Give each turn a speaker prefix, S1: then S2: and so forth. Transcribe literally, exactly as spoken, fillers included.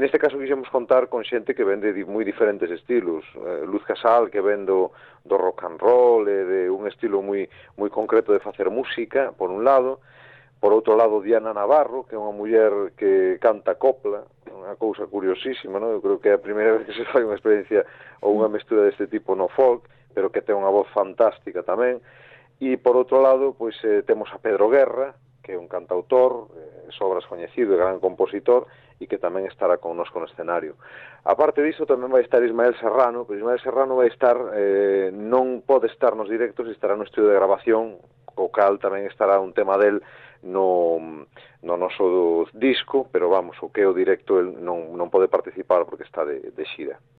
S1: neste caso quixemos contar con xente que vende moi diferentes estilos. Eh, Luz Casal, que vendo do rock and roll e de un estilo moi moi concreto de facer música, por un lado. Por outro lado, Diana Navarro, que é unha muller que canta copla, unha cousa curiosísima, non? Eu creo que é a primeira vez que se fai unha experiencia ou unha mestura deste tipo no folk, pero que ten unha voz fantástica tamén. E, por outro lado, pois eh, temos a Pedro Guerra, que é un cantautor, eh, sobras coñecido e gran compositor, e que tamén estará connosco no escenario. A parte disso, tamén vai estar Ismael Serrano, pero Ismael Serrano vai estar, eh, non pode estar nos directos, estará no estudio de grabación, o cal tamén estará un tema del no, no noso disco, pero vamos, o que é o directo el non, non pode participar porque está de, de xira.